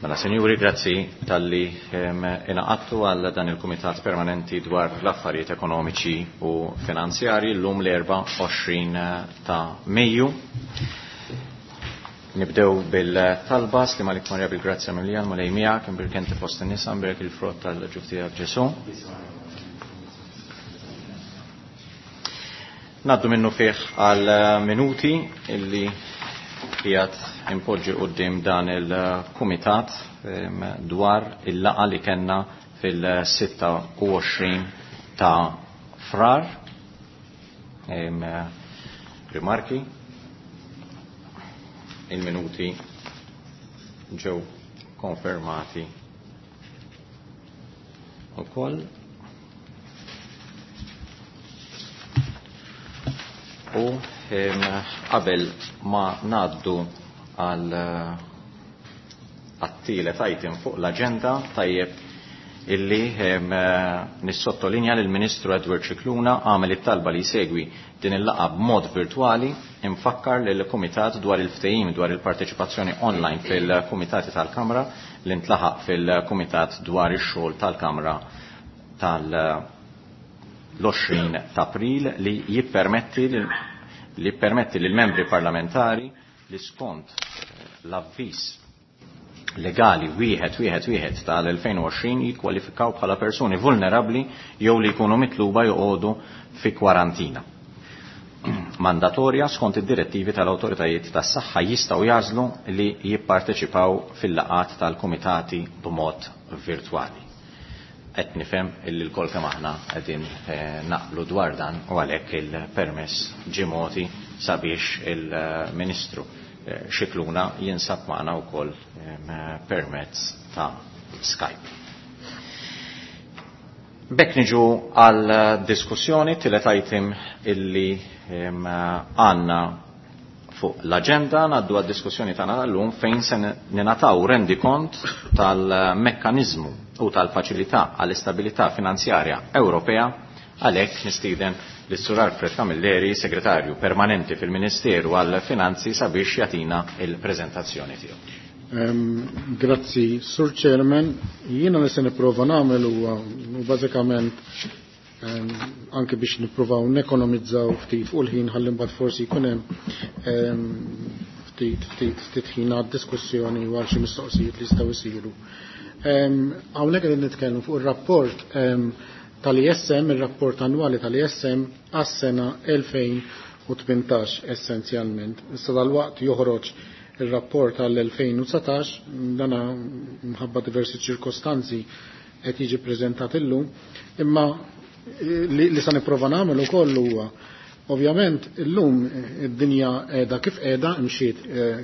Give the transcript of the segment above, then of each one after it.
Mela, senjuri, grazzi talli ingħaqadtu għal dan il-Kumitat Permanenti dwar l-Affarijiet Ekonomiċi u Finanzjarji llum l-24 ta' Mejju. Nibdew bil-talba Slima lik Marja bil-grazzja mimlija l-Mulej miegħek, imbierek inti fost in-nisa, imbierek il-frott tal-ġuf tiegħek Ġesù. Naddu minnu fih għal minuti illi qiegħed impoġġi quddiem dan il-kumitat dwar il-laqa li kellna fil-26 ta' Frar. Rimarki. Il-minuti ġew konfermati ukoll. U qabel ma ngħaddu għal għat-tielet item fuq l-aġenda, tajjeb illi nissottolinja li l-Ministru Edward Scicluna għamel it-talba li jsegwi din il-laqgħa b'mod virtwali. Infakkar lil kumitat dwar il-ftehim dwar il-parteċipazzjoni online fil-kumitati tal-Kamra li ntlaħaq fil-Kumitat dwar ix-xogħol tal-Kamra tal-20 ta' April li jippermetti li jippermetti lil membri parlamentari li skont l-avviż legali 111 tal-2020 jikkwalifikaw bħala persuni vulnerabbli jew li jkunu mitluba joqogħdu fi kwarantina mandatorja skont id-direttivi tal-awtoritajiet tas-saħħa jistgħu jażlu li jipparteċipaw fil-laqgħat tal-kumitati b'mod virtwali. Qed nifhem illi l-kol kemm aħna qegħdin naqblu dwar dan u għalhekk il-permess ġie mogħti sabiex il-Ministru Scicluna jinsab magħna wkoll permezz ta' Skype. B'hekk niġu għal diskussjoni tielet item illi għandna fuq l-aġenda, ngħaddu għad diskussjoni tagħna tal-lum fejn se ninataw rendikont tal-mekkaniżmu u tal-faċilità għall-istabilità finanzjarja Ewropea. Għalhekk nistieden lis-Sur Alfred Camilleri, segretarju permanenti fil-Ministeru għall-Finanzi, sabiex jagħtina il-preżentazzjoni tiegħu. Grazzi, Sur Chairman. Jiena li se nipprova nagħmel huwa bażikament anke biex nippruvaw nekonomizzaw ftit fuq il-ħin ħalli mbagħad forsi jkun hemm ftit ftit ftit ħin għad-diskussjoni u għal xi mistoqsijiet li jistgħu jsiru. Hawnhekk qegħdin nitkellmu fuq ir-rapport tal-ISM, ir-rapport annwali tal-ISM għas-sena 2018 essenzjalment. Issa dal-waqt joħroġ ir-rapport għall-2019, dana mħabba diversi ċirkostanzi qed jiġi preżentat illum, imma li sa nipprova nagħmel ukoll huwa ovvjament illum id-dinja qiegħda kif qiegħda, imxiet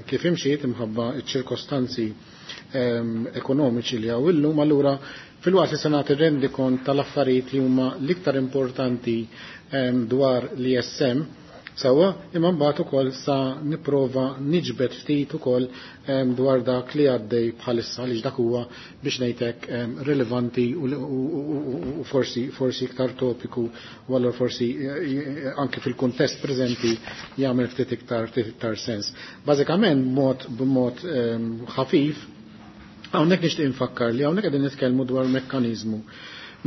kif imxiet imħabba ċ-ċirkostanzi ekonomiċi li hawn illum, allura fil-waqt li se nagħti rendikont tal-affarijiet li huma l-iktar importanti dwar l-ISM sewwa, imma mbagħad ukoll sa nipprova niġbed ftit ukoll dwar dak li għaddej bħalissa għaliex dak huwa biex ngħidlek rilevanti u forsi iktar topiku u allura forsi anke fil-kuntest preżenti jagħmel ftit iktar sens. Bażikament b'mod ħafif hawnhekk nixtieq infakkar li hawnhekk qegħdin nitkellmu dwar mekkaniżmu.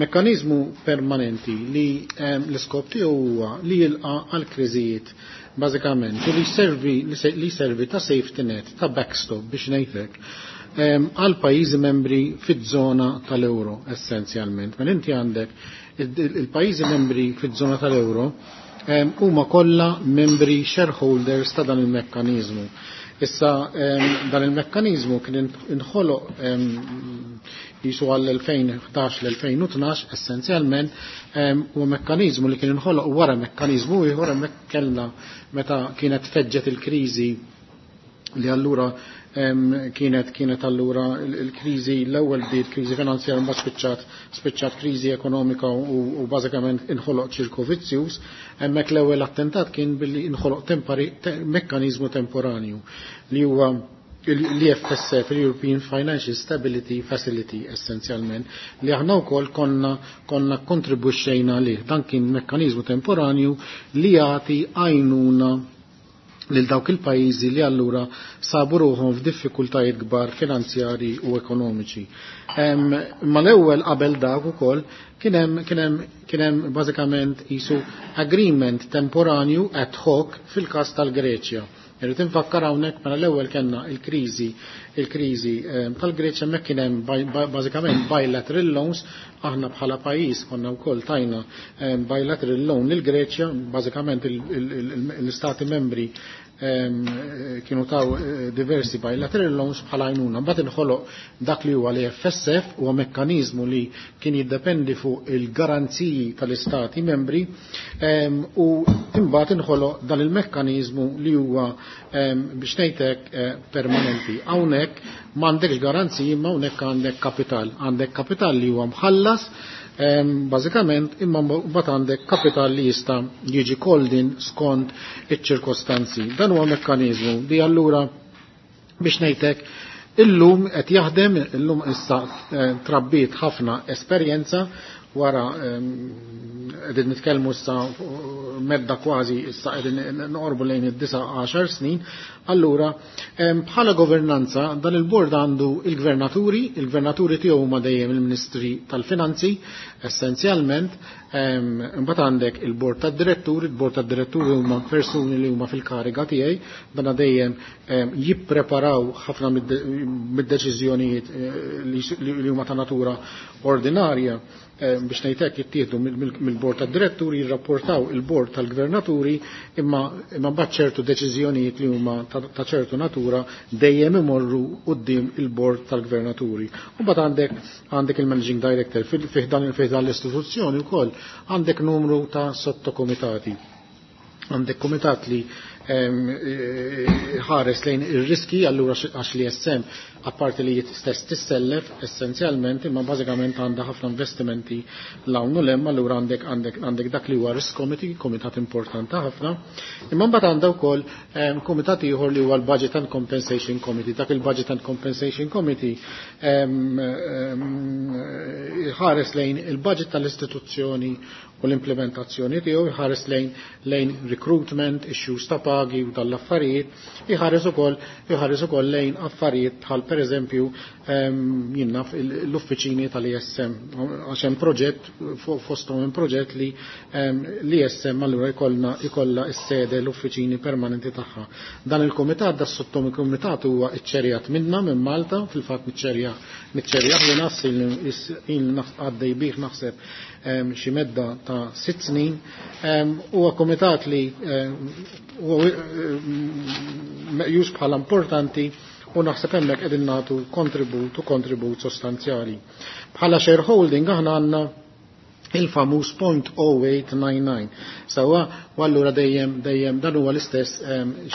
Mekkaniżmu permanenti li l-iskop tiegħu huwa li jilqa' għal kriżijiet bażikament u li jservi, li jservi ta' safety net, ta' backstop biex ngħidlek, għal pajjiżi membri fiż-żona tal-euro essenzjalment. Mela inti għandek il-pajjiżi membri fiż-żona tal-euro huma kollha membri shareholders ta' dan il-mekkaniżmu. Issa dan il-mekkaniżmu kien inħoloq jisu għall-2011 l-2012 essenzjalment, huwa mekkaniżmu li kien inħoloq wara mekkaniżmu ieħor hemmhekk kellna meta kienet feġġet il-kriżi li allura kienet allura il-kriżi l-ewwel bdiet kriżi finanzjarja mbagħad spiċċat kriżi ekonomika u bażikament inħoloq ċirku vizzjuż. Hemmhekk l-ewwel attentat kien billi inħoloq mekkaniżmu temporanju li huwa l-EFSF, l-European Financial Stability Facility essenzjalment, li aħna wkoll konna kontribwixxejna lih. Dan kien mekkaniżmu temporanju li jagħti għajnuna lil dawk il-pajjiżi li allura sabu ruħhom f'diffikultajiet kbar finanzjari u ekonomiċi. Ma l-ewwel qabel dak ukoll kien hemm bażikament isu agreement temporanju ad hoc fil-każ tal-Greċja. Irrid infakkar hawnhekk mela l-ewwel kellna il-kriżi tal-Greċja hemmhekk kien hemm bażikament bilateral loans, aħna bħala pajjiż konna wkoll tajna bilateral loan lil Greċja, bażikament l-istati membri kienu taw diversi bilateral loans bħala għajnuna. Mbagħad inħoloq dak li huwa l-FSF huwa mekkaniżmu li kien jiddependi fuq il-garanziji tal-istati membri u imbagħad inħoloq dan il-mekkaniżmu li huwa biex ngħidlek permanenti. Hawnhekk m'għandekx garanziji imma hawnhekk għandek kapital. Għandek kapital li huwa mħallas bażikament imma mbagħad għandek kapital li jista' jiġi koldin skont iċ-ċirkostanzi. Dan huwa mekkaniżmu li allura biex ngħidlek illum qed jaħdem, illum issa trabbiet ħafna esperjenza wara qegħdin nitkellmu issa medda kważi issa qegħdin noqorbu lejn id-9 snin, allura bħala governanza dan il-bord għandu il-gvernaturi tiegħu huma dejjem il-Ministri tal-Finanzi essenzjalment, imbagħad għandek il-bord tad-diretturi, il-bord tad-diretturi huma persuni li huma fil-kariga tiegħi, dan dejjem jippreparaw ħafna mid-deċiżjonijiet li huma ta' natura ordinarja biex ngħidlek jittieħdu mill-bord tad-diretturi, jirrapportaw il-bord tal-gvernaturi, imma mbagħad ċertu deċiżjonijiet li huma ta' ċertu natura dejjem imorru quddiem il-bord tal-gvernaturi. U mbagħad għandek il-managing director fih dan l-istituzzjoni wkoll għandek numru ta' sottokomitati. Għandek komitat li ħares lejn ir-riski, allura għax li jessem apparti li stess tissellef essenzjalment, imma bażikament għandha ħafna investimenti l-hawn u l-hemm, allura għandek dak li huwa risk committee, komitat importanti ħafna. Imma mbagħad għandha wkoll komitat ieħor li huwa l-Budget and Compensation Committee. Dak il-Budget and Compensation Committee ħares lejn il-budget tal-istituzzjoni u l-implementazzjoni tiegħu, jħares lejn recruitment, issues ta' pagi u tal-affarijiet, jħares ukoll lejn affarijiet bħal pereżempju jinnaf l-uffiċini tal-ISM, għax hemm proġett fosthom hemm proġett li l-ISM allura jkollha s-sede l-uffiċini permanenti tagħha. Dan il-kumitat, da sottokumitat huwa iċċerjat minna minn Malta, fil-fatt niċċerjah li nafs il għaddej bih naħseb xi medda ta' 6 snin, huwa komitat li huwa meqjus bħala importanti u naħseb hemmhekk qegħdin nagħtu kontribut u kontribut sostanzjali. Bħala shareholding aħna għandna il-famuż 0.0899. Sawa, u allura dejjem dan huwa l-istess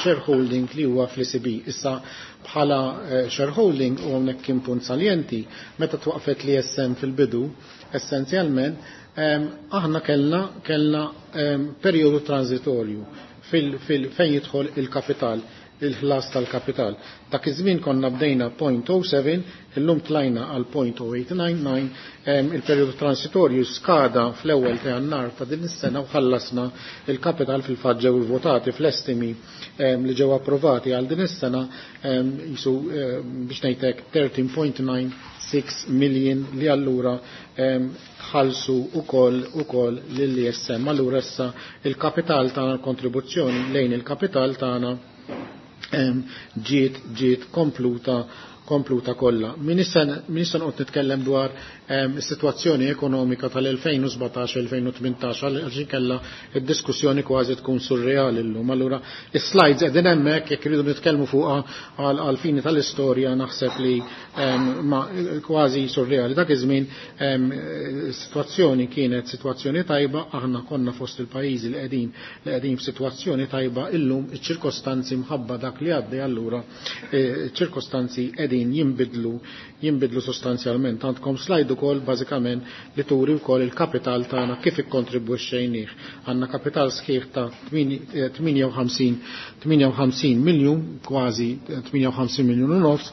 shareholding li huwa fl-ECB. Issa bħala shareholding u hawnhekk kien punt saljenti, meta twaqfet li SM fil-bidu, essenzjalment aħna kellna perjodu transitorju fejn jidħol il-kapital, il-ħlas tal-kapital. Dak iż-żmien konna bdejna 0.07, illum tlajna għal 0.0899, il-perjodu transitorju skada fl-ewwel ta' Jannar ta' din is-sena u ħallasna il-kapital fil-fatt ġew votati fl-estimi li ġew approvati għal din is-sena jisu biex ngħidlek 13.96 million li allura ħalsu ukoll lill-ISM. Allura issa il-kapital tagħna, l-kontribuzzjoni lejn il-kapital tagħna ġiet kompluta kollha. Min issa noqgħod nitkellem dwar is-sitwazzjoni ekonomika tal-2017-2018 għaliex inkella d-diskussjoni kważi tkun surreali llum. Allura is-slides qegħdin hemmhekk jekk iridu nitkellmu fuqha għal fini tal-istorja naħseb li ma kważi surreali. Dak iż-żmien is-sitwazzjoni kienet sitwazzjoni tajba, aħna konna fost il-pajjiżi li qegħdin f'sitwazzjoni tajba, illum iċ-ċirkostanzi mħabba dak li għaddej allura ċirkostanzi qegħdin qegħdin jinbidlu sostanzjalment. Għandkom slide ukoll bażikament li turi wkoll il-kapital tagħna kif ikkontribwixxejnieh. Għandna kapital sħiħ ta' 58 miljun, kważi 58 miljun u nofs,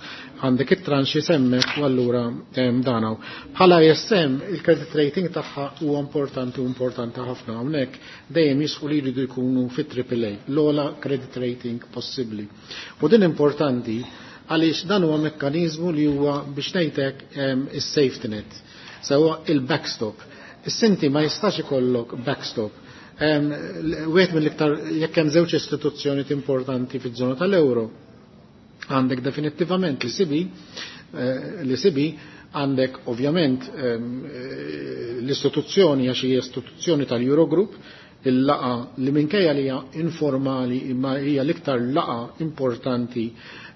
għandek it-tranxi semmek u allura danaw. Bħala ISM il-credit rating tagħha huwa importanti u importanti ħafna hawnhekk dejjem jisqu li jridu jkunu fit-AAA, l-ogħla credit rating possibbli. U din importanti għaliex dan huwa mekkaniżmu li huwa biex ngħidlek is-safety net, sewa il-backstop. Is-sinti ma jistax ikollok backstop. Wieħed mill-iktar jekk hemm żewġ istituzzjonijiet importanti fiż-żona tal-euro, għandek definittivament l-ECB, għandek ovvjament l-istituzzjoni għax hija istituzzjoni tal-Eurogroup, il-laqa li minkejja li hija informali imma hija l-iktar laqa importanti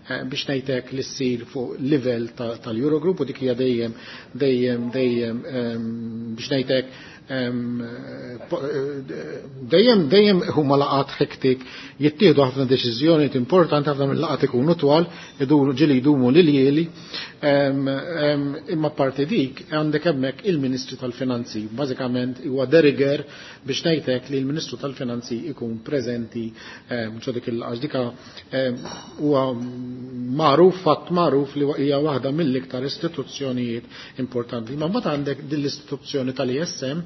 biex ngħidlek li ssir fuq livell tal-Eurogroup u dik hija dejjem dejjem dejjem biex ngħidlek dejjem dejjem huma laqat hektik, jittieħdu ħafna deċiżjonijiet importanti, ħafna mill-laqat ikunu twal, iduru ġieli jdumu lil-jieli, imma parti dik għandek hemmhekk il-Ministru tal-Finanzi, bażikament huwa de rigueur biex ngħidlek li l-Ministru tal-Finanzi ikun preżenti ġo dik il-laqgħa. Dika huwa magħruf, fatt magħruf li hija waħda mill-iktar istituzzjonijiet importanti. Ma mbagħad għandek din l-istituzzjoni tal-ISM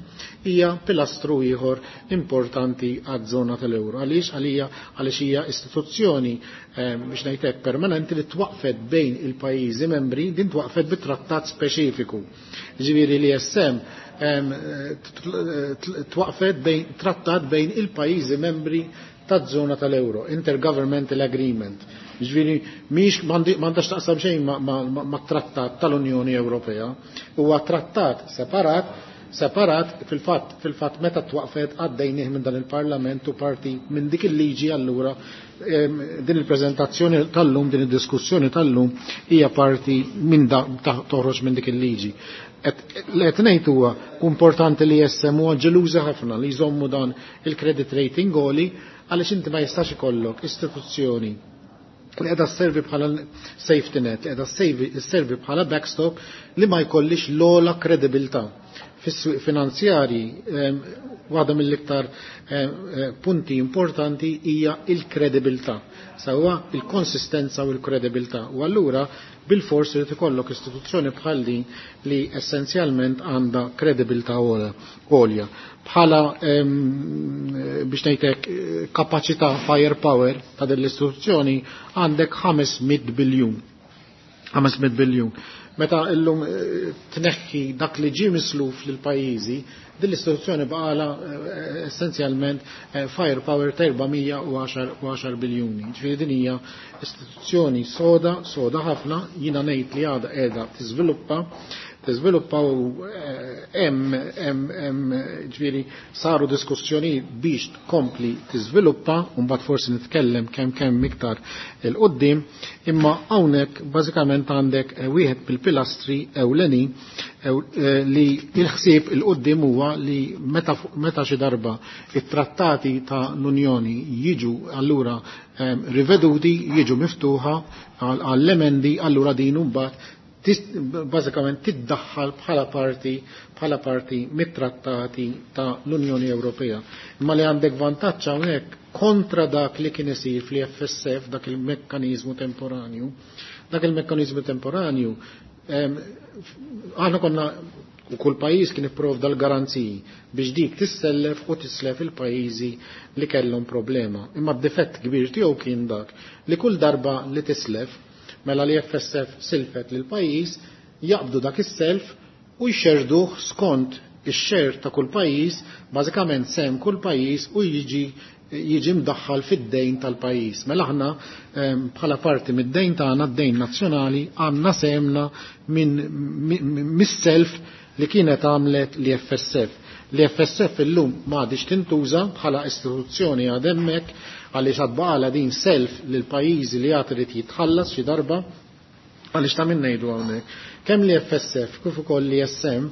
hija pilastru ieħor importanti għaż-żona tal-euro. Għaliex? Għalija għaliex hija istituzzjoni biex ngħidlek permanenti li twaqfet bejn il-pajjiżi membri, din twaqfet bi trattat speċifiku. Ġifieri l-ISM twaqfet bejn trattat bejn il-pajjiżi membri taż-żona tal-euro, Intergovernmental Agreement. Ġifieri mhix m'għandax taqsam xejn ma' trattat tal-Unjoni Ewropea, huwa trattat separat fil-fatt meta twaqfet għaddejnieh minn dan il-Parlament u parti minn dik il-liġi. Allura din il-preżentazzjoni tal-lum, din id-diskussjoni tal-lum hija parti minn da toħroġ minn dik il-liġi. Qed ngħid huwa importanti li jessem huwa ġeluża ħafna li jżommu dan il-credit rating għoli, għaliex inti ma jistax ikollok istituzzjoni li qiegħda sservi bħala safety net, li qiegħda sservi bħala backstop li ma jkollix l-ogħla kredibilità. Fis-swieq finanzjari waħda mill-iktar punti importanti hija il-kredibilità, sewwa il-konsistenza u l-kredibilità. U allura bil-fors li ikollok istituzzjoni bħal din li essenzjalment għandha kredibilità għolja. Bħala biex ngħidlek kapaċità, firepower ta' din l-istituzzjoni għandek 500 biljun. 500 biljun. Meta illum tneħħi dak li ġie misluf lil pajjiżi, din l-istituzzjoni baqala essenzjalment firepower ta' 410 biljuni. Ġifieri din hija istituzzjoni soda, soda ħafna, jiena ngħid li għadha qiegħda tiżviluppa u hemm ġifieri saru diskussjoni biex tkompli tiżviluppa u mbagħad forsi nitkellem kemm kemm iktar il qudiem, imma hawnhekk bażikament għandek wieħed bil-pilastri ewlenin li il-ħsieb il qudiem huwa li meta xi darba it-trattati ta' l-Unjoni jiġu allura riveduti, jiġu miftuħa għall-emendi, allura din mbagħad bażikament tiddaħħal bħala parti mit-trattati ta' l-Unjoni Ewropea. Imma li għandek vantaġġ hawnhekk kontra dak li kien isir fl-FSF, dak il-mekkaniżmu temporanju. Dak il-mekkaniżmu temporanju aħna konna u kull pajjiż kien ipprovda l-garanziji biex dik tissellef u tislef il-pajjiżi li kellhom problema. Imma d-difett kbir tiegħu kien dak li kull darba li tislef, mela li FSF silfet lil pajjiż, jaqbdu dak is-self u jxerduh skont ix-share ta' kull pajjiż, bażikament sem kull pajjiż, u jiġi mdaħħal fid-dejn tal-pajjiż. Mela aħna bħala parti mid-dejn tagħna, d-dejn nazzjonali, għandna semna minn mis-self li kienet għamlet li FSF. Li FSF illum m'għadix tintuża bħala istituzzjoni, għad hemmhekk għaliex għad din self lil pajjiżi li għad irid jitħallas xi darba, għaliex ta' min ngħidu hawnhekk. Kemm li FSF kif ukoll li SM,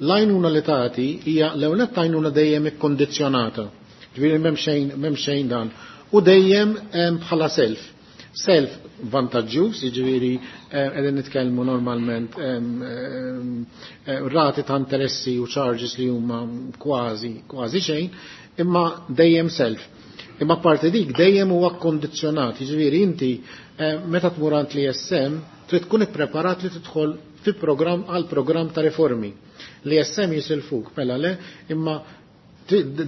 l-għajnuna li tagħti hija l-ewwel għajnuna dejjem ikkondizzjonata. Ġifieri m'hemm xejn dan. U dejjem bħala self. Self vantaġġjuż, jiġifieri qegħdin nitkellmu normalment rati ta' interessi u charges li huma kważi kważi xejn, imma dejjem self. Imma parti dik dejjem huwa kkondizzjonat, jiġifieri inti meta tmur għand l-ISM trid tkun ippreparat li tidħol fi programm għal programm ta' riformi. L-ISM jisilfuk, mela le, imma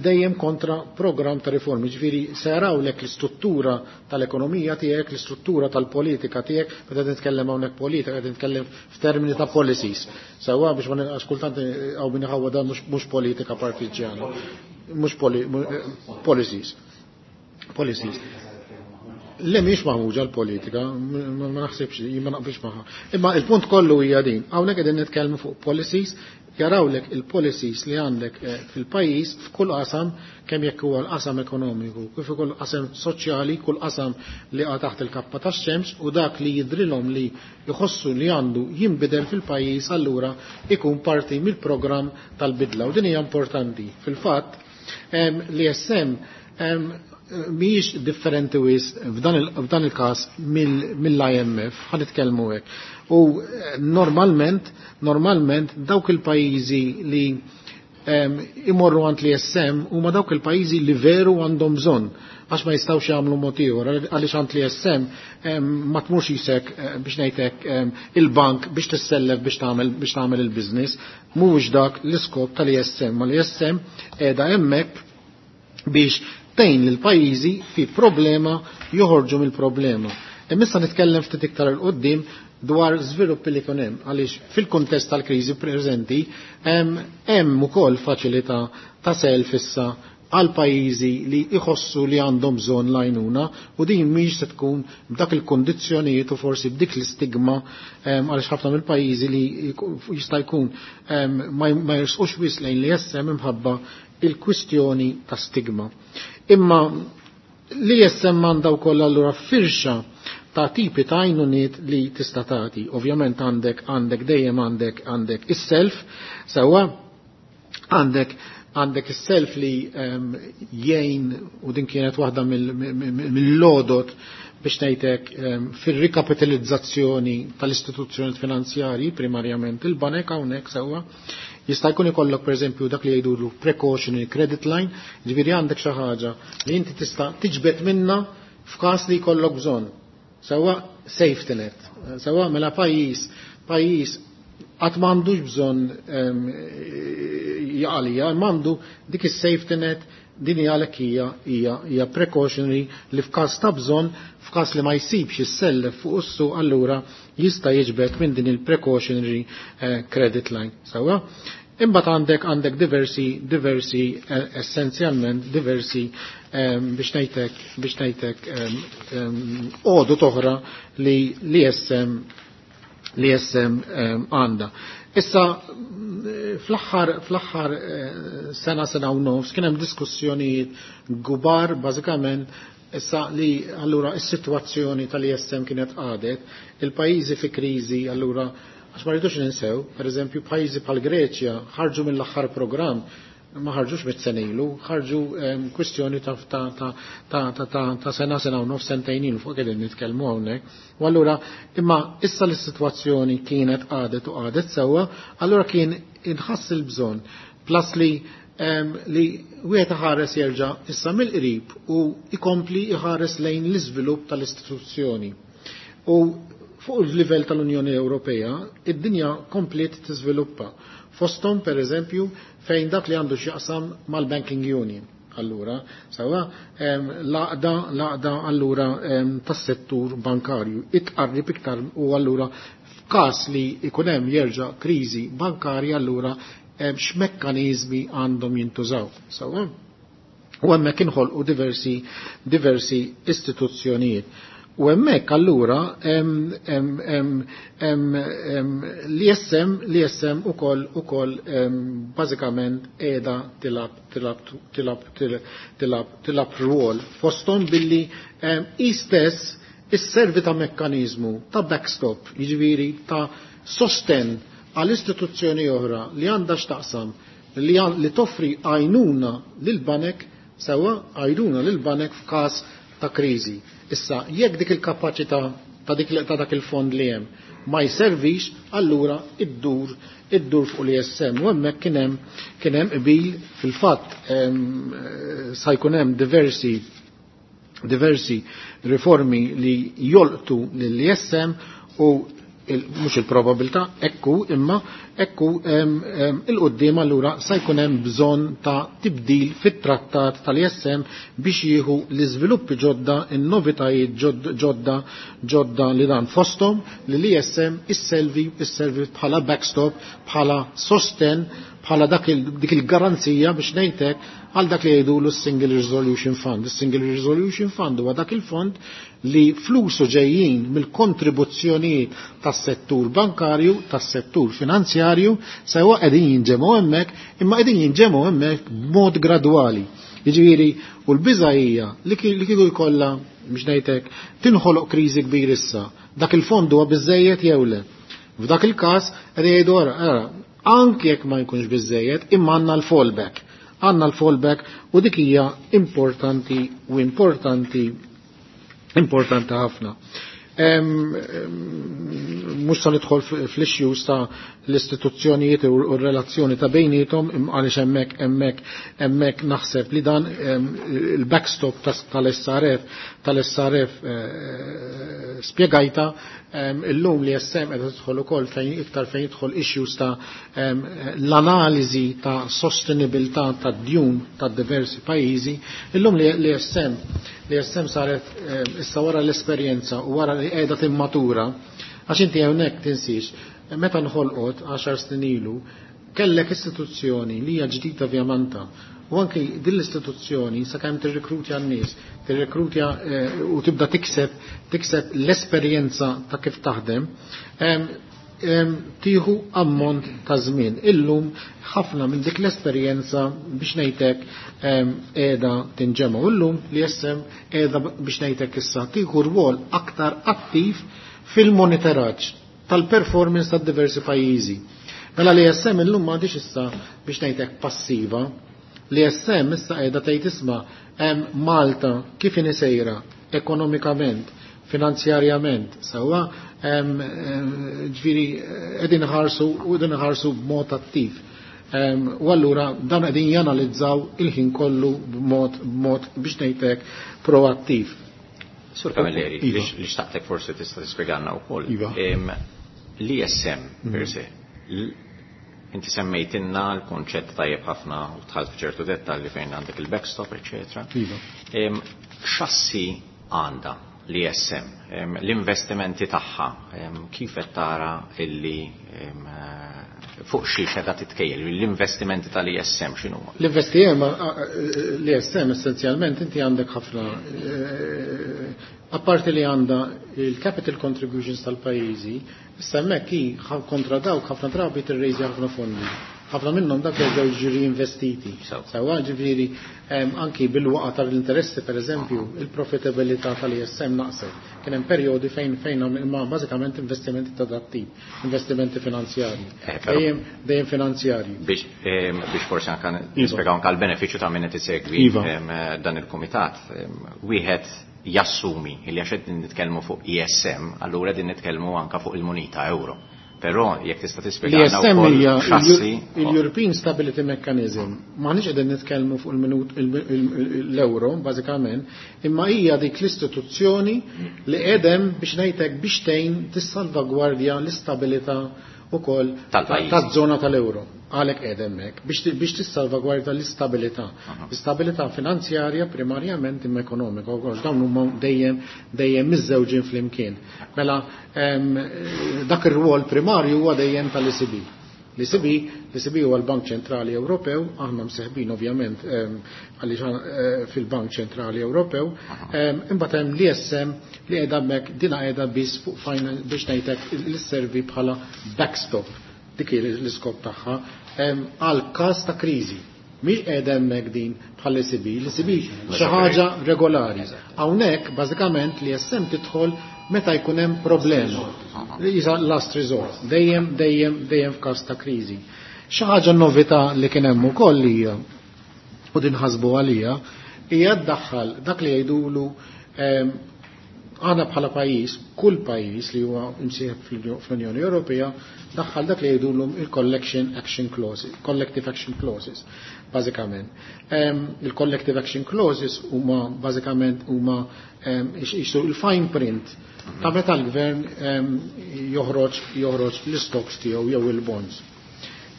dejjem kontra programm ta' riformi, ġifieri se jarawlek l-istruttura tal-ekonomija tiegħek, l-istruttura tal-politika tiegħek, meta nitkellem hawnhekk politika, qed nitkellem f'termini ta' policies. Sewwa biex ma nilqax kultant hawn min iħawwa dan mhux politika partiġjana. Mhux policies. Policies. Le mhix maħmuġa l-politika, ma naħsibx, jien ma naqbilx magħha. Imma il-punt kollu hija din, hawnhekk qegħdin nitkellmu fuq policies, jarawlek il-policies li għandek fil-pajjiż f'kull qasam, kemm jekk huwa l-qasam ekonomiku, kif ukoll qasam soċjali, kull qasam li qa' taħt il-kappa tax-xemx u dak li jidrilhom li jħossu li għandu jinbidel fil-pajjiż allura ikun parti mill-programm tal-bidla. U din hija importanti. Fil-fatt, l-ISM mhijiex differenti wis f'dan il-każ mill-IMF, ħa nitkellmu hekk. U normalment dawk il-pajjiżi li imorru għand l-ISM huma dawk il-pajjiżi li veru għandhom bżonn, għax ma jistgħux jagħmlu mod ieħor, għaliex għand l-ISM ma tmurx isek biex ngħidlek il-bank biex tissellef biex tagħmel il-business, mhuwiex dak l-iskop tal-ISM, ma l-ISM qiegħda hemmhekk biex tgħin lil pajjiżi fi problema joħorġu mill-problema. Imma nitkellem ftit iktar il qudiem dwar żviluppi li kien hemm, għaliex fil-kuntest tal-kriżi preżenti hemm ukoll faċilità ta' self issa għal pajjiżi li jħossu li għandhom bżonn l-għajnuna u din mhix se tkun b'dak il-kondizzjonijiet u forsi b'dik l-istigma għaliex ħafna mill-pajjiżi li jista' jkun ma jersqux wis lejn li jessem imħabba il-kwistjoni ta' stigma. Imma li jessem għandha wkoll allura firxa ta' tipi ta' għajnuniet li tista' tagħti. Ovvjament għandek dejjem għandek is-self, sewwa għandek is-self li jgħin, u din kienet waħda mill-lodot biex ngħidlek fir-rikapitalizzazzjoni tal-istituzzjoni finanzjarji, primarjament il-banek hawnhekk sewwa. Jista' jkun ikollok pereżempju dak li jgħidulu precautionary credit line, ġifieri għandek xi ħaġa li inti tista' tiġbed minna f'każ li jkollok bżonn. Sewwa safety net. Sewwa mela pajjiż qatt m'għandux bżonn jaqalija, m'għandu dik is-safety net, din hija għalhekk hija precautionary li f'każ ta' bżonn, f'każ li ma jsibx is-sellef fuq is-suq, allura jista' jiġbed minn din il-precautionary credit line. Sewwa? Imbagħad għandek diversi essenzjalment diversi biex ngħidlek għodod oħra li li jessem għandha. Issa fl-aħħar sena, sena u nofs kien hemm diskussjonijiet gubar bażikament issa li allura is-sitwazzjoni tal-ISM kienet għadet, il-pajjiżi fi kriżi allura għax ma rridux ninsew, pereżempju pajjiżi bħal Greċja ħarġu mill-aħħar programm, ma ħarġux mit-senilu, ħarġu kwistjoni ta' sena, sena u nofs, sentejn ilu fuq qegħdin nitkellmu hawnhekk. U allura imma issa l-sitwazzjoni kienet għadet u għadet sewwa, allura kien inħass il-bżonn plus li wieħed iħares jerġa' issa mill-qrib u jkompli iħares lejn l-iżvilupp tal-istituzzjoni. U fuq il-livell tal-Unjoni Ewropea, id-dinja kompliet tiżviluppa. Fosthom, per eżempju, fejn dak li għandu x'jaqsam mal-Banking Union. Allura, sawa, laqda allura tas-settur bankarju. Itqarrib iktar u allura f'każ li jkun hemm jerġa' kriżi bankarja allura x'mekkaniżmi għandhom jintużaw. Sawa? U hemmhekk inħolqu diversi istituzzjonijiet. U hemmhekk allura l-ISM, l-ISM ukoll bażikament qiegħda tilab rwol fosthom billi hi stess isservi ta' mekkaniżmu ta' backstop, jiġifieri ta' sosten għal istituzzjoni oħra li għandha x'taqsam li toffri għajnuna lil banek, sewwa għajnuna lil banek f'każ ta' kriżi. Issa, jekk dik il-kapaċità ta' dak il-fond li hemm ma jservix, allura iddur fuq l-ISM. U hemmhekk kien hemm qbil fil-fatt sa jkun hemm diversi riformi li jolqtu lill-ISM u mhux il-probabilità ekku imma ekku il-qudiem allura sa jkun hemm bżonn ta' tibdil fit-trattat tal-ISM biex jieħu l-iżviluppi ġodda, in-novitajiet ġodda li dan fosthom li l-ISM isservi bħala backstop, bħala sosten, bħala dik il-garanzija biex ngħidlek għal dak li jgħidulu s-Single Resolution Fund. Is-Single Resolution Fund huwa dak il-fond li flusu ġejjin mill-kontribuzzjonijiet tas-settur bankarju, tas-settur finanzjarju, sewa qegħdin jinġemgħu hemmhekk, imma qegħdin jinġemgħu hemmhekk b'mod gradwali. Jiġifieri, u l-biża' hija li kieku jkollha biex ngħidlek tinħoloq kriżi kbir issa, dak il-fond huwa biżejjed jew le. F'dak il-każ qed jgħidu ara, anke jekk ma jkunx biżejjed, imma għandna l-fallback. Għandna l-fallback u dik hija importanti u importanti ħafna. Mhux se nidħol fl-issues ta' l-istituzzjonijiet u r-relazzjoni ta' bejniethom għaliex hemmhekk naħseb li dan il-backstop tal-SRF spjegajta illum li SM qed tidħol ukoll fejn iktar fejn jidħol issues ta' l-analiżi ta' sostenibilità tad-djun ta' diversi pajjiżi. Illum li SM saret issa wara l-esperjenza u wara li qiegħda timmatura, għax inti hawnhekk tinsiex, meta nħolqot 10 snin ilu, kellek istituzzjoni li hija ġdida vjamanta. U anki din l-istituzzjoni sakemm tirrekrutja n-nies, tirrekrutja u tibda tikseb l-esperjenza ta' kif taħdem, tieħu ammont ta' żmien. Illum ħafna minn dik l-esperjenza biex ngħidlek qiegħda tinġema'. U llum li SM qiegħda biex ngħidlek issa tieħu rwol aktar attiv fil-monitoraġġ tal-performance ta' diversi pajjiżi. Mela li SM illum m'għadix issa biex ngħidlek passiva, li SM issa qiegħda tgħid isma' hemm Malta kif inhi sejra ekonomikament, finanzjarjament, sewwa ġifieri qegħdin iħarsu u qegħdin iħarsu b'mod attiv. U allura dan qegħdin janalizzaw il-ħin kollu b'mod biex ngħidlek proattiv. Sur Camilleri, li xtaqtek forsi tista' tispjegana wkoll. L-ISM per se, inti semmejtinna l-konċett tajjeb ħafna u dħalt f'ċertu dettalji fejn għandek il-backstop, eċetera. X'assi għandha l-ISM, l-investimenti tagħha, kif qed tara illi fuq xi xedha titkejjel, l-investimenti tal-ISM x'inhuma? L-ISM essenzjalment inti għandek ħafna, apparti li għandha il-capital contributions tal-pajjiżi, issa hemmhekk hi kontra dawk ħafna drabi tirrejżi ħafna fondi. Ħafna minnhom dak jerġgħu jiġu reinvestiti. Sewwa ġifieri anki bil-waqa tal-interessi pereżempju, il-profitabilità tal-ISM naqset. Kien hemm perjodi fejn imma bażikament investimenti ta' dat tip, investimenti finanzjarji. Dejjem finanzjarji. Biex forsi anke nispjegaw anke l-benefiċċju ta' min qed isegwi dan il-kumitat, wieħed jassumi li għax qed nitkellmu fuq ISM, allura qegħdin nitkellmu anke fuq il-munita euro. Però jekk tista' tispjegana wkoll xassi. Il-European Stability Mechanism, m'aħniex qegħdin nitkellmu fuq l-euro bażikament, imma hija dik l-istituzzjoni li qegħdem biex ngħidlek biex tgħin tissalvagwardja l-istabilità ukoll taż-żona tal-euro. Għalhekk qiegħed hemmhekk biex tissalvagwardja l-istabilità. L-istabilità finanzjarja primarjament imma ekonomika wkoll dawn huma dejjem miżżewġin flimkien. Mela dak ir-rwol primarju huwa dejjem tal-ECB. L-ECB huwa l-Bank Ċentrali Ewropew, aħna mseħbin ovvjament għaliex fil-Bank Ċentrali Ewropew, imbagħad hemm l-ISM li qiegħda hemmhekk dina qiegħda biss fuq biex ngħidlek li sservi bħala backstop, dik hi l-iskop tagħha għal każ ta' kriżi. Mhix qiegħda hemmhekk din bħal ECB, l-ECB xi ħaġa regolari. Hawnhekk bażikament l-ISM tidħol meta jkun hemm problema. Isa last resort, dejjem, dejjem, dejjem f'każ ta' kriżi. Xi ħaġa novità li kien hemm ukoll hija, u din ħasbu għalija, hija ddaħħal dak li jgħidulu Aħna bħala pajjiż, kull pajjiż li huwa imsieħeb fl-Unjoni Ewropea daħħal dak li jgħidulhom il-Collection Action Clauses, Collective Action Clauses, bażikament. Il-Collective Action Clauses huma bażikament huma jisu il-fine print ta' meta l-gvern joħroġ joħroġ l-stocks tiegħu jew il-bonds.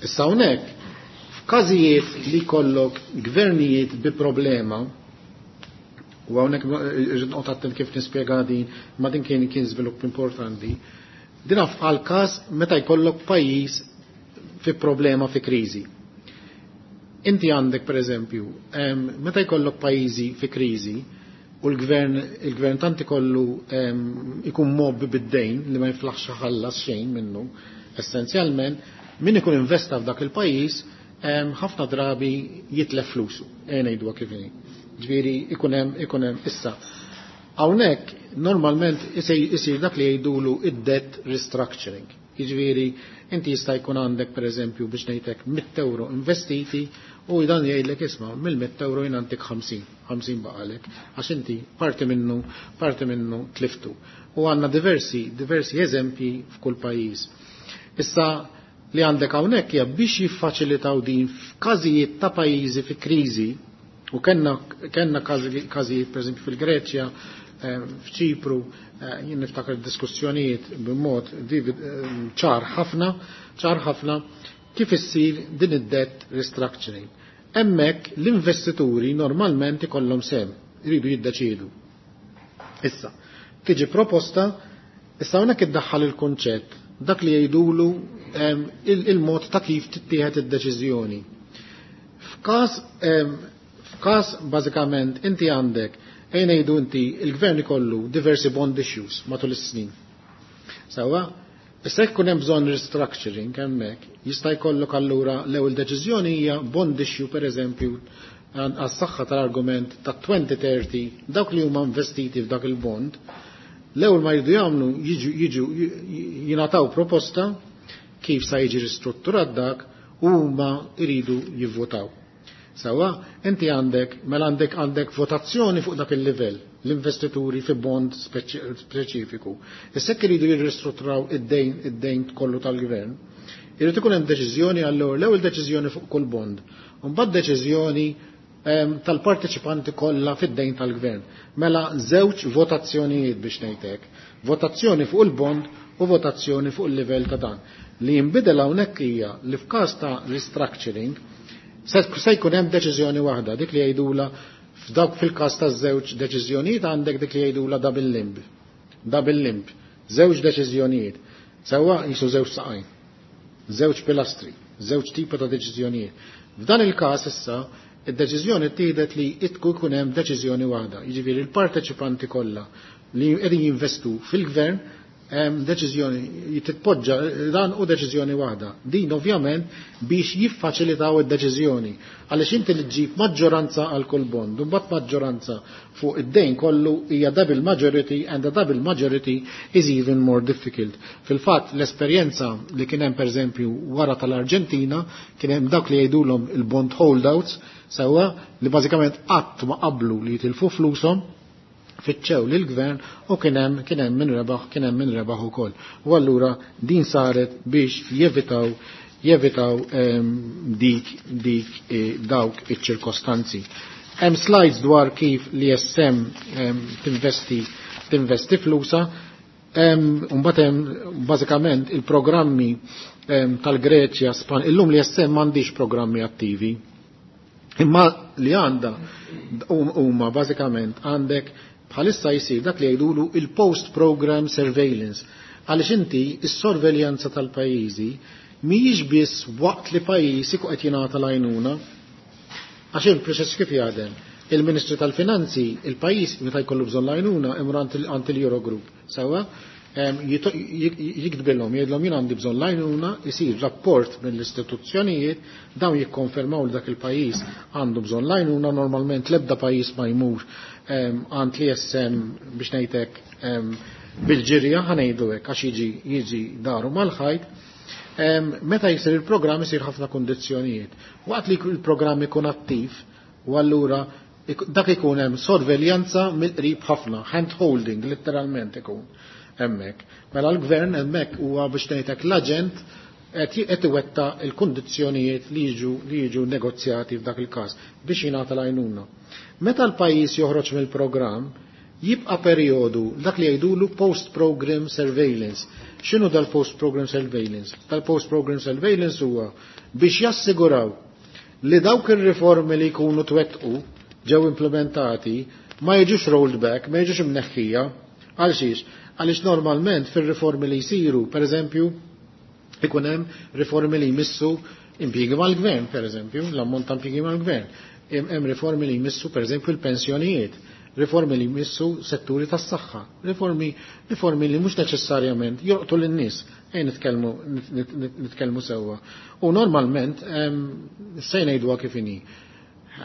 Issa hawnhekk f'każijiet li jkollok gvernijiet bi problema, u hawnhekk irrid noqgħod attent kif nispjega din, ma din kien żvilupp importanti. Din għal każ meta jkollok pajjiż fi problema, fi kriżi. Inti għandek pereżempju, meta jkollok pajjiżi fi kriżi u l-gvern tant ikollu ikun mgħobbi bid-dejn li ma jiflaħx ħallas xejn minnu, essenzjalment min ikun investa f'dak il-pajjiż ħafna drabi jitlef flusu, ngħiduha kif inhi. Ġifieri ikun hemm issa. Hawnhekk normalment isir dak li jgħidulu id-debt restructuring. Jiġifieri inti jista' jkun għandek pereżempju, biex ngħidlek, 100 euro investiti u dan jgħidlek, "Isma', mill-100 euro jien għandek 50, 50 baqalek, għax inti parti minnu tliftu." U għandna diversi eżempji f'kull pajjiż. Issa li għandek hawnhekk hija biex jiffaċilitaw din f'każijiet ta' pajjiżi fi kriżi, u kellna każijiet pereżempju fil-Greċja, f'Ċipru, jien niftakar diskussjonijiet b'mod ċar ħafna, ċar ħafna kif issir din id-debt restructuring. Hemmhekk l-investituri normalment ikollhom sehem, iridu jiddeċiedu. Issa, tiġi proposta, issa hawnhekk iddaħħal il-kunċett dak li jgħidulu il-mod ta' kif tittieħed id-deċiżjoni. F'każ bażikament inti għandek, ejn ngħidu inti il-gvern ikollu diversi bond issues matul is-snin. Sawa, issa jekk hemm bżonn restructuring hemmhekk, jista' jkollok allura l-ewwel deċiżjoni hija bond issue, pereżempju, għas-saħħa tal-argument ta' 2030, dawk li huma investiti f'dak il-bond, l-ewwel ma jridu jagħmlu jiġu jingħataw proposta kif sa jiġi ristrutturat dak u huma jridu jivvotaw. Sawa, inti għandek, mela għandek votazzjoni fuq dak il-livell, l-investituri fi bond speċifiku. Issa jekk iridu jirristrutturaw id-dejn kollu tal-gvern, irid ikun hemm deċiżjoni, allura l-ewwel deċiżjoni fuq kull bond, u mbagħad deċiżjoni tal-parteċipanti kollha fid-dejn tal-gvern. Mela żewġ votazzjonijiet, biex ngħidlek, votazzjoni fuq il-bond u votazzjoni fuq il-livell ta' dan. Li jinbidel hawnhekk hija li f'każ ta' restructuring se jkun hemm deċiżjoni waħda, dik li jgħidula f'dawk fil-każ ta' żewġ deċiżjonijiet għandek dik li jgħidula double limb. Double limb, żewġ deċiżjonijiet. Sewwa jisu żewġ saqajn, żewġ pilastri, żewġ tipi ta' deċiżjonijiet. F'dan il-każ issa id-deċiżjoni ttieħdet li itku jkun hemm deċiżjoni waħda. Jiġifieri l-parteċipanti kollha li qegħdin jinvestu fil-gvern, deċiżjoni titpoġġa dan u deċiżjoni waħda. Din ovvjament biex jiffaċilitaw id-deċiżjoni. Għaliex inti li ġġib maġġoranza għal kull bond, u mbagħad maġġoranza fuq id-dejn kollu hija double majority, and a double majority is even more difficult. Fil-fatt l-esperjenza li kien hemm pereżempju wara tal-Arġentina, kien hemm dak li jgħidulhom il-bond holdouts, sewwa, li bażikament qatt ma qablu li jitilfu flushom, fittxew lil gvern u kien hemm min rebaħ, kien hemm min rebaħ ukoll. U allura din saret biex jevitaw dik dawk iċ-ċirkostanzi. Hemm slides dwar kif l-ESM tinvesti flusa, Mbagħad hemm bażikament il-programmi tal-Greċja, Span, illum l-ESM m'għandix programmi attivi. Imma li għandha huma bażikament għandek bħalissa jsir dak li jgħidulu il-post program surveillance. Għaliex inti is-sorveljanza tal-pajjiżi mhijiex biss waqt li pajjiż ikun qed jingħata l-għajnuna. Għax il-proċess kif jaħdem? Il-Ministru tal-Finanzi, il-pajjiż meta jkollu bżonn l-għajnuna imur għand il-Eurogroup. Sewwa, jiktbilhom, jgħidlhom, "Jien għandi bżonn l-għajnuna," isir rapport mill-istituzzjonijiet, dawn jikkonfermaw li dak il-pajjiż għandu bżonn l-għajnuna. Normalment l-ebda pajjiż ma jmur għand l-ESM, biex ngħidlek, bil-ġirja, ħa ngħidu hekk, għax jiġi daru mal-ħajt. Meta jisir il-programm isir ħafna kondizzjonijiet. Waqt li il-programm ikun attiv, u allura Dak ikun hemm sorveljanza mill-qrib ħafna, hand holding letteralment ikun hemmhekk. Mela l-gvern hemmhekk huwa biex ngħidlek l-aġent qed iwetta l-kundizzjonijiet li jiġu negozjati f'dak il-każ biex jingħata l-għajnuna. Meta l-pajjiż joħroġ mill-programm, jibqa' perjodu dak li jgħidulu post-program surveillance. X'inhu dal-post-program surveillance? Dal-post-program surveillance huwa biex jassiguraw li dawk ir-riformi li jkunu twettqu ġew implementati ma jiġux rolled back, ma jiġux imneħħija. Għal xiex? Għaliex normalment fir-riformi li jsiru, per eżempju, ikun hemm riformi li jmissu impjiegi mal-gvern, per eżempju, l-ammont ta' impjiegi mal-gvern. Hemm riformi li jmissu, per eżempju, il-pensjonijiet, riformi li jmissu setturi tas-saħħa, riformi li mhux neċessarjament jolqtu lin-nies, ejn nitkellmu sewwa. U normalment se ngħiduha kif inhi.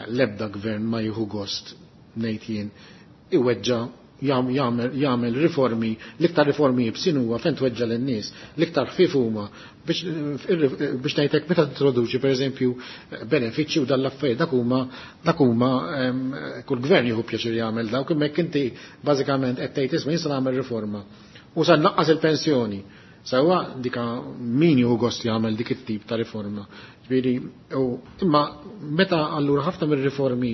L-ebda gvern ma jieħu gost ngħid jien iweġġa' jagħmel riformi, l-iktar riformi jibsin huwa fejn tweġġa' lin-nies, l-iktar ħfief huma biex ngħidlek meta tintroduċi pereżempju benefiċċji u dan l-affarijiet dak huma kull gvern jieħu pjaċir jagħmel dawk, imma jekk inti bażikament qed tgħid isma' jien se nagħmel riforma u se nnaqqas il-pensjoni. Sewwa dika min jieħu gost jagħmel dik it-tip ta' riforma. Ġifieri, imma meta allura ħafna mir-riformi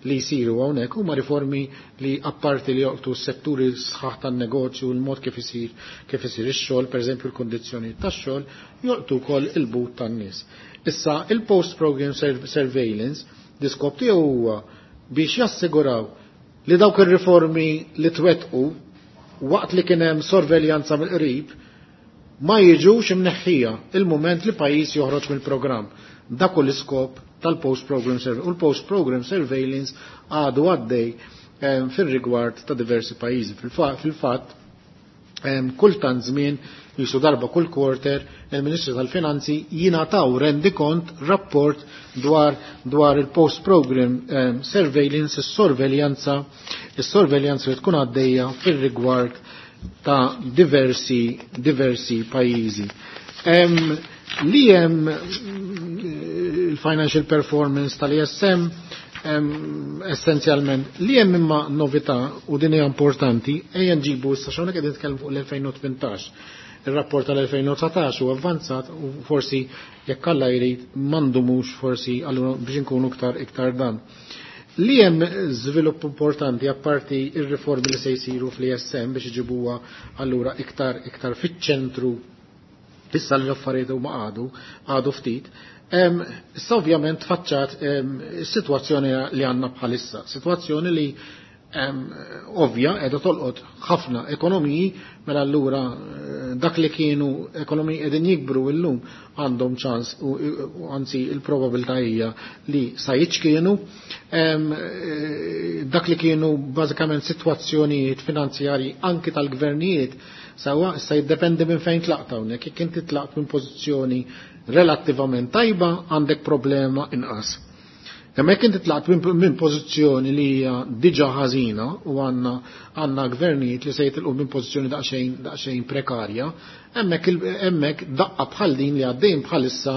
li jsiru hawnhekk huma riformi li apparti li joqtu s-setturi sħaħ tan-negozju, l-mod kif isir ix-xogħol, pereżempju l-kundizzjonijiet tax-xogħol, jolqtu wkoll il-but tan-nies. Issa il-post-program surveillance l-iskop tiegħu huwa biex jassiguraw li dawk ir-riformi li twettqu waqt li kien hemm sorveljanza mill-qrib ma jiġux imneħħija il-moment li pajjiż joħroġ mill-programm. Dak hu l-iskop tal-post-program surveillance. U l-post-program surveillance għadu għaddej fir-rigward ta' diversi pajjiżi. Fil-fatt, kull tant żmien, jisu darba kull quarter, il-Ministru tal-Finanzi jingħataw rendikont rapport dwar il-post-program surveillance, is-sorveljanza li tkun għaddejja fir-rigward ta' diversi pajjiżi. Li hemm il-financial performance tal-ISM essenzjalment li hemm imma novità u din hija importanti, ejja nġibu issa x'hawnhekk qegħdin nitkellmu fuq l-2018. Ir-rapport tal-2019 huwa avvanzat u forsi jekk Alla jrid m'għandhomux forsi allura biex inkunu iktar dan. Li hemm żvilupp importanti apparti ir-riformi li se jsiru fl-ISM biex iġibuha allura iktar fiċ-ċentru issa li l-affarijiet huma għadu ftit. Issa ovvjament tfaċċat is-sitwazzjoni li għandna bħalissa, sitwazzjoni li ovvja qiegħda tolqot ħafna ekonomiji, mela allura dak li kienu ekonomiji qegħdin jikbru llum għandhom ċans u anzi il-probabilità hija li sa jiċkienu. Dak li kienu bażikament sitwazzjonijiet finanzjarji anki tal-gvernijiet sawa issa jiddependi minn fejn tlaqt hawnhekk. Jekk inti tlaqt minn pożizzjoni relattivament tajba għandek problema inqas. Imma jekk inti tlaqt minn pożizzjoni li hija diġà ħażina u għandna gvernijiet li se jitilqu minn pożizzjoni daqsxejn prekarja, hemmhekk daqqa bħal din li għaddejn bħalissa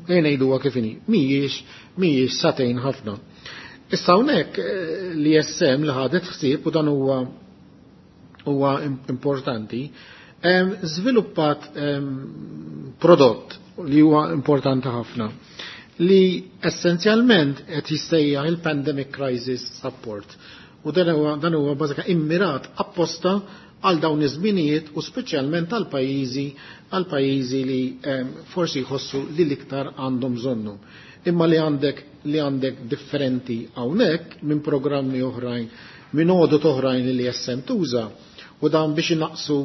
ngħiduha kif inhi, mhijiex satejn ħafna. Issa hawnhekk l-ISM li ħadet ħsieb u dan huwa importanti, żviluppat prodott li huwa importanti ħafna li essenzjalment qed jissejjaħ il-Pandemic Crisis Support. U dan huwa bażika immirat apposta għal dawn iż-żminijiet u speċjalment għal pajjiżi li forsi jħossu li l-iktar għandhom bżonnu. Imma li għandek differenti hawnhekk minn programmi oħrajn, minn għodot oħrajn li jessem tuża, u dan biex inaqsu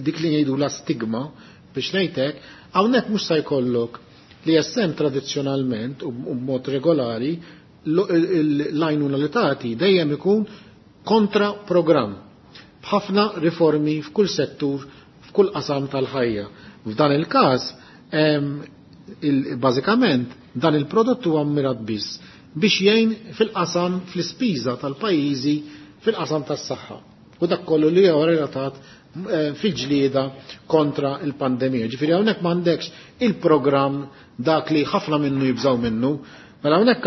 dik li ngħidu la stigma biex ngħidlek, hawnhekk mhux se jkollok li jessem tradizzjonalment u b'mod regolari l-għajnuna li tagħti dejjem ikun kontra programm b'ħafna riformi f'kull settur, f'kull qasam tal-ħajja. F'dan il-każ, bażikament dan il-prodott huwa mmirat biss biex jgħin fil-qasam fl-ispiża tal-pajjiżi fil-qasam tas-saħħa. U dak kollu li huwa relatat fil-ġlieda kontra il-pandemija. Ġifieri hawnhekk m'għandekx il-programm dak li ħafna minnu jibżaw minnu, Mela hawnhekk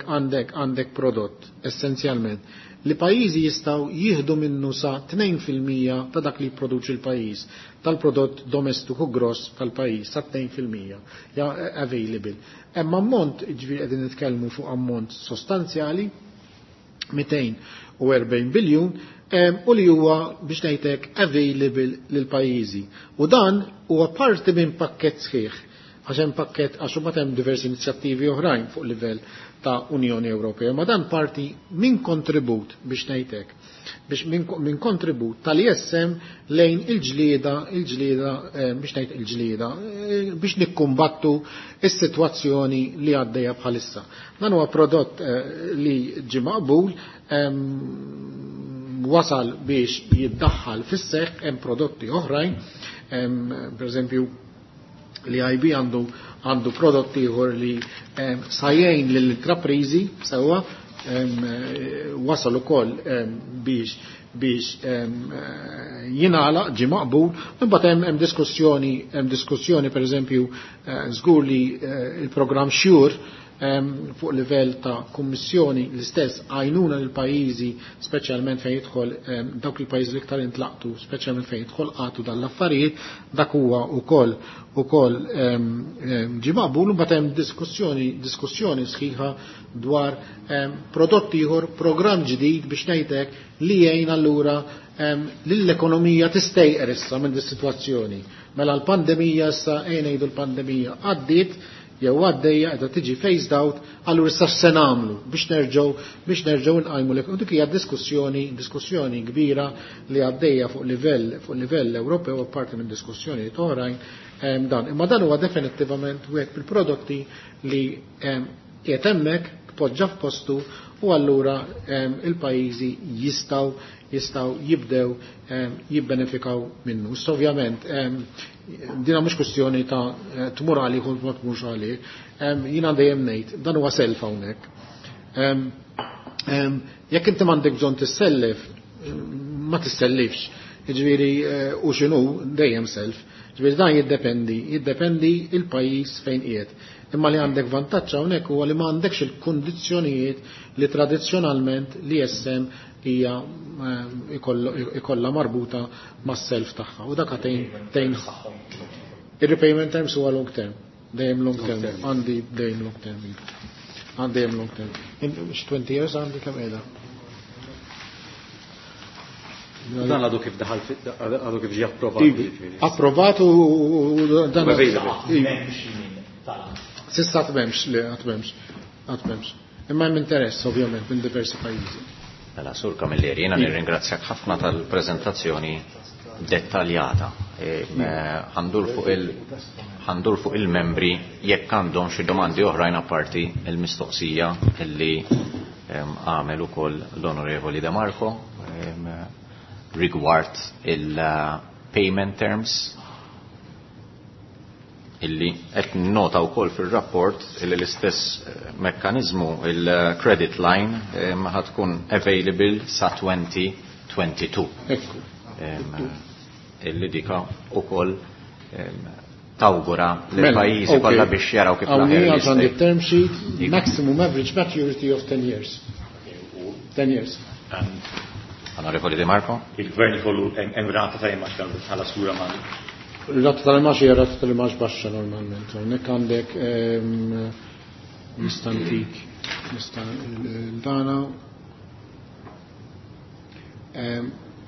għandek prodott essenzjalment li pajjiżi jistgħu jieħdu minnu sa 2% ta' dak li jipproduċi l-pajjiż, tal-prodott domestiku gross tal-pajjiż sa 2% ja available. Hemm ammont, ġifieri qegħdin nitkellmu fuq ammont sostanzjali, 240 biljun, u li huwa biex ngħidlek available lil pajjiżi. U dan huwa parti minn pakkett sħiħ, għax hemm pakkett, għax imbagħad hemm diversi inizjattivi oħrajn fuq livell ta' Unjoni Ewropea, ma dan parti minn kontribut biex ngħidlek, biex minn kontribut tal-ISM lejn il-ġlieda, il-ġlieda, biex ngħid il-ġlieda, biex nikkumbattu is-sitwazzjoni li għaddejja bħalissa. Dan huwa prodott li ġie maqbul, wasal biex jiddaħħal fis-seħħ, hemm prodotti oħrajn, pereżempju l-IB għandu prodotti ieħor li sajjejn lill-intrapriżi sewwa, wasal ukoll biex jingħalaq, ġie maqbul. Imbagħad hemm diskussjoni, hemm diskussjoni pereżempju żgur li il-programm Sure fuq livell ta' kummissjoni l-istess għajnuna lil pajjiżi, speċjalment fejn jidħol dawk il-pajjiżi li iktar intlaqtu, speċjalment fejn jidħol qatu dan l-affarijiet, dak huwa ukoll ġie maqbul. Imbagħad hemm diskussjoni sħiħa dwar prodott ieħor, programm ġdid biex ngħidlek li jgħin allura lill-ekonomija tistejqer issa minn dis-sitwazzjoni. Mela l-pandemija issa, ejja ngħidu l-pandemija għaddiet jew għaddejja qiegħda tiġi phased out, allura issa x'se nagħmlu biex nerġgħu nqajmu l-ekonomija. U dik hija diskussjoni kbira li għaddejja fuq livell Ewropew, apparti minn diskussjonijiet oħrajn dan. Imma dan huwa definittivament wieħed mill-prodotti li qiegħed hemmhekk tpoġġa f'postu, u allura il-pajjiżi jistgħu jibdew jibbenefikaw minnu. Issa ovvjament dina mhux kwestjoni ta' tmur għalih u ma tmurx għalih. Jiena dejjem ngħid dan huwa self hawnhekk. Jekk inti m'għandek bżonn tissellef, ma tissellifx. Jiġifieri u x'inhu dejjem self. Jiġifieri dan jiddependi il-pajjiż fejn qiegħed. Imma li għandek vantaġġ hawnhekk huwa li ma għandekx il-kundizzjonijiet li tradizzjonalment li jessem hija ikollha marbuta mas-self tagħha. U dak tgħin. Ir-repayment terms huwa long term, dejjem long term, għandi dejjem long term. Għandi dejjem long term. 20 years għandi kemm qiegħda. Dan għadu kif daħal, għadu kif ġie approvat. Iva, approvat u dan Iva. Sissa għatmemx, le, għatmemx, għatmemx. Imma hemm interess, ovvjament, minn diversi pajjiżi. Mela, Sur Camilleri, jiena nirringrazzjak ħafna tal-preżentazzjoni dettaljata. Ħandur fuq il-membri jekk għandhom xi domandi oħrajn apparti il-mistoqsija illi għamel ukoll l-Onorevoli De Marco rigward il-payment terms illi qed nota wkoll fir-rapport illi l-istess mekkaniżmu il-credit line ħad tkun available sa 2022. Ekku. Illi dika ukoll tawgura lil Mela, pajjiżi ok. kollha biex jaraw kif Hawnhekk l-aħjar għandek jista' term sheet, Iva. maximum average maturity of 10 years. 10 years. Onorevoli De Marco? Il-gvern ikollu hemm rata ta' imax bħala sura ma' Rata tal-imax hija rata tal-imax baxxa normalment. Hawnhekk għandek nistantik, nista' dana.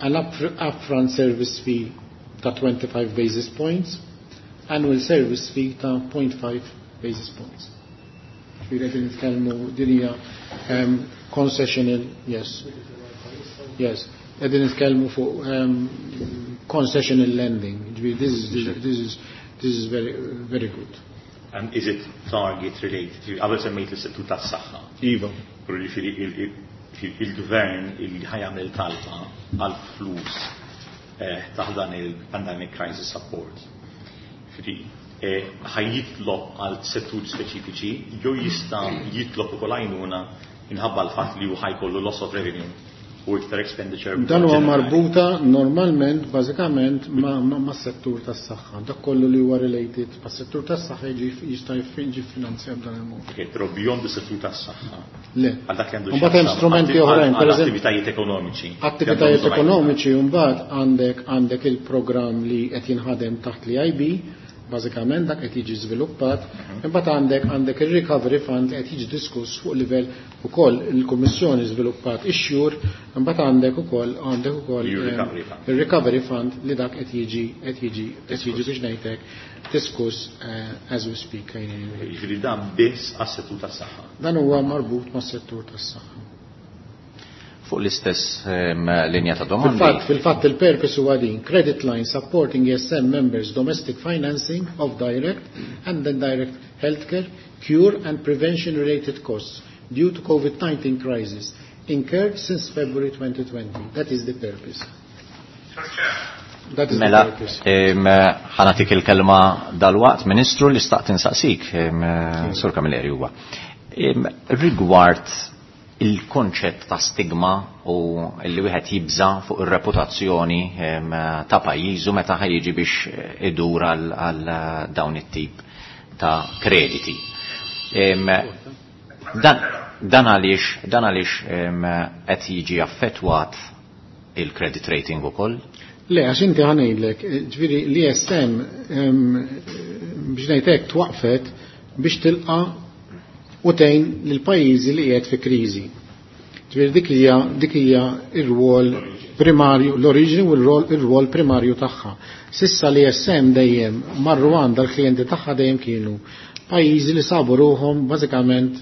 An upfront service fee ta' 25 basis points, annual service fee ta' 0.5 basis points. Ġifieri qegħdin nitkellmu din hija concessional, yes. Yes. Qegħdin nitkellmu fuq concessional lending. Ġifieri this is very, very good. And is it target related? Qabel semmejt l-settur tas-saħħa. Iva. Però ġifieri il-gvern il ħajamel talba għal flus taħt dan il-pandemic crisis support. Ġifieri ħajjitlob għal settur speċifiċi jew jista' jitlob ukoll għajnuna minħabba l-fatt li hu ħajkollu loss of revenue. U iktar expenditure. Dan huwa marbuta normalment, bażikament, mas-settur tas-saħħa. Dak kollu li huwa related mas-settur tas-saħħa jiġi jista' jiġi finanzjat b'dan il-mod. Okay, però beyond is-settur tas-saħħa. Le. Għal dak li għandu Mbagħad hemm strumenti oħrajn, pereżempju attivitajiet ekonomiċi. Attivitajiet ekonomiċi mbagħad għandek il-programm li qed jinħadem taħt l-IB, bażikament dak qed jiġi żviluppat, imbagħad għandek ir-Recovery Fund li qed jiġi diskuss fuq livell ukoll il-Kummissjoni żviluppat ix-xjur, imbagħad għandek ukoll għandek ukoll Il-Recovery Fund. il-Recovery Fund li dak qed jiġi qed jiġi qed jiġi biex ngħidlek diskuss as we speak. Jiġifieri dan biss għas-settur tas-saħħa. Dan huwa marbut mas-settur tas-saħħa. Fuq l-istess linja ta' domandi. Fil-fatt il-purpose huwa din, credit line supporting ESM members domestic financing of direct and indirect healthcare, cure and prevention related costs due to COVID-19 crisis incurred since February 2020. That is the purpose. That is the Mela, purpose. ħanatik il-kelma dal-waqt, Ministru, li staqt insaqsik, Sur Camilleri huwa. Rigward il-konċett ta' stigma u li wieħed jibża fuq ir-reputazzjoni ta' pajjiżu meta ħajjiġi biex idur għal dawn it-tip ta' krediti. Dan għaliex qed jiġi affettwat il-credit rating ukoll? Le, għax inti ħanejlek, ġifieri l-ISM biex ngħidlek twaqfet biex tilqa' u tgħin lil pajjiżi li qiegħed fi kriżi. Ġifieri dik hija r-rwol primarju, l-oriġini u r-rwol primarju tagħha. Sissa l-ISM dejjem marru għandha l-klijenti tagħha dejjem kienu pajjiżi li sabu ruhom bażikament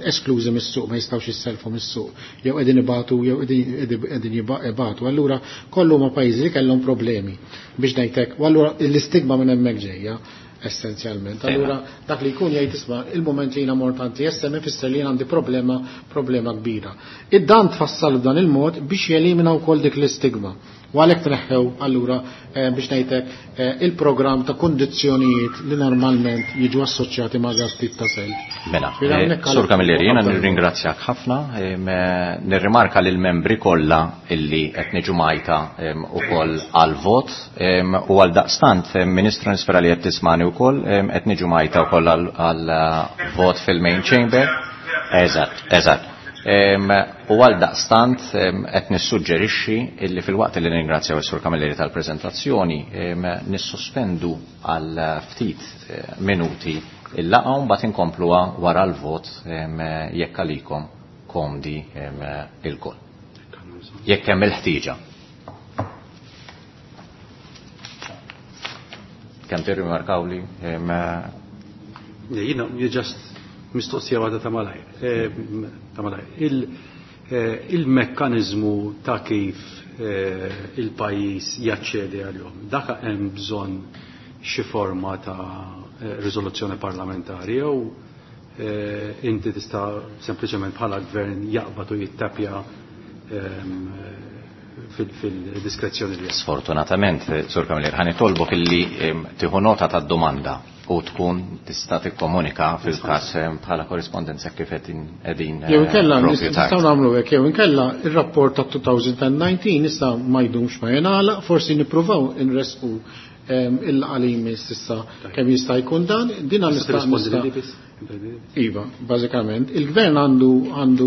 esklużi mis-suq, ma jistgħux jisselfu mis-suq, jew qegħdin ibatu, jew qegħdin ibatu. Allura kollu huma pajjiżi li kellhom problemi biex ngħidlek, u allura l-istigma minn hemmhekk ġejja essenzjalment. Allura dak li jkun jgħid isma' il-moment li jiena mort għand l-ISM ifisser li jien għandi problema kbira. Id-dan tfassal b'dan il-mod biex jelimina wkoll dik l-istigma. U għalhekk tneħħew allura biex ngħidlek il-programm ta' kundizzjonijiet li normalment jiġu assoċjati ma' dak tip ta' self. Mela, Ġifieri hawnhekk Sur għalhekk Camilleri, jiena qabel. nirringrazzjak ħafna, nirrimarka lil membri kollha illi qed niġu majta ukoll għal-vot, u għal daqstant, Ministru nispera li qed tismani wkoll, qed niġu majta wkoll għal-vot fil-main chamber. Eżatt, eżatt. U għal daqstant qed nissuġġerixxi illi fil-waqt li nirringrazzjaw is-Sur Camilleri tal-preżentazzjoni, nissospendu għal ftit minuti il-laqgħa u mbagħad inkompluha wara l-vot jekk għalikom komdi ilkoll. Jekk hemm il-ħtieġa. Kemm tirrimarkaw li, Jiena just mistoqsija waħda ta' malajr. Ta' malajr. Il-mekkanizmu ta' kif il-pajjiż jaċċedi għalihom, dak hemm bżonn xi forma ta' riżoluzzjoni parlamentari jew inti tista' sempliċement bħala gvern jaqbad u jittapja fil-diskrezzjoni li hemm. Sfortunatament, Sur Camilleri, ħa nitolbok illi tieħu nota tad-domanda u tkun tista' tikkomunika fil-każ bħala korrispondenza kif qegħdin, Jew inkella propju tard. nistgħu nagħmlu hekk, jew inkella ir-rapport ta' 2019 issa ma jdumx ma jingħalaq, forsi nippruvaw inresqu il-laqgħa li jmiss issa kemm jista' jkun dan, din Tista' nista' tirrispondi nista' lili biss? Iva, bażikament. Il-gvern għandu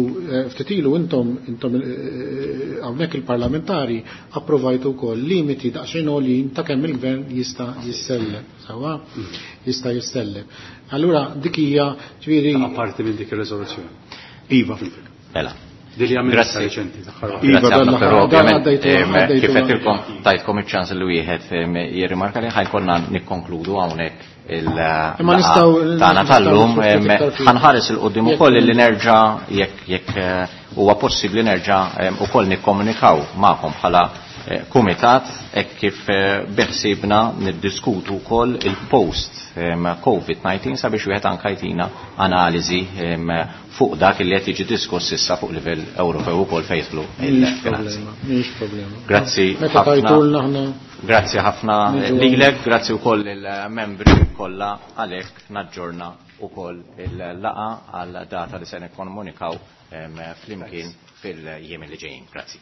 ftit ilu intom hawnhekk il-parlamentari approvajtu wkoll limiti daqsxejn għoljin ta' kemm il-gvern jista' jissellef, sewwa? Jista' jissellef. Allura dik hija ġifieri Ta' parti minn dik ir-riżoluzzjoni. Iva. Mela. Din li għamilna Grazzi. reċenti, l-aħħar waħda. Iva, Grazzi dan ħafna, l-aħħar però dan ovvjament, għaddejtu kif għal- qedtilkom tajtkom iċ-ċans li wieħed jirrimarka li ħajkonna nikkonkludu hawnhekk il- Imma laqgħa tagħna nistgħu tal-lum, nistgħu iktar fil- ħanħares il qudiem Jekk ukoll li nerġa' jekk huwa possibbli nerġa' ukoll nikkomunikaw magħkom bħala kumitat hekk kif biħsibna niddiskutu wkoll il-post COVID-19 sabiex wieħed anke jtina analiżi fuq dak li qed jiġi diskuss issa fuq livell Ewropew ukoll fejn jidħlu Mhix il-finanzi. problema, mhix problema. Grazzi Meta ħafna. tajtulna aħna Grazzi ħafna Niġu lilek, grazzi wkoll il-membri kollha għalhekk naġġorna wkoll il-laqgħa għal data li se nikkomunikaw flimkien fil-jiem li ġejjin. Grazzi.